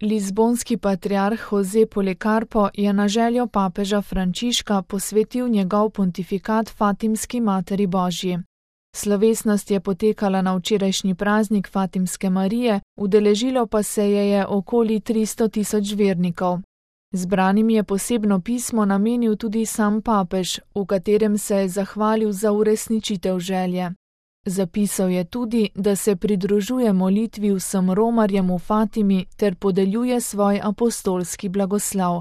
Lizbonski patriarh Jose Policarpo je na željo papeža Frančiška posvetil njegov pontifikat Fatimski Materi Božji. Slovesnost je potekala na včerajšnji praznik Fatimske Marije, udeležilo pa se je okoli 300 000 vernikov. Zbranim je posebno pismo namenil tudi sam papež, v katerem se je zahvalil za uresničitev želje. Zapisal je tudi, da se pridružuje molitvi vsem romarjem v Fatimi ter podeljuje svoj apostolski blagoslov.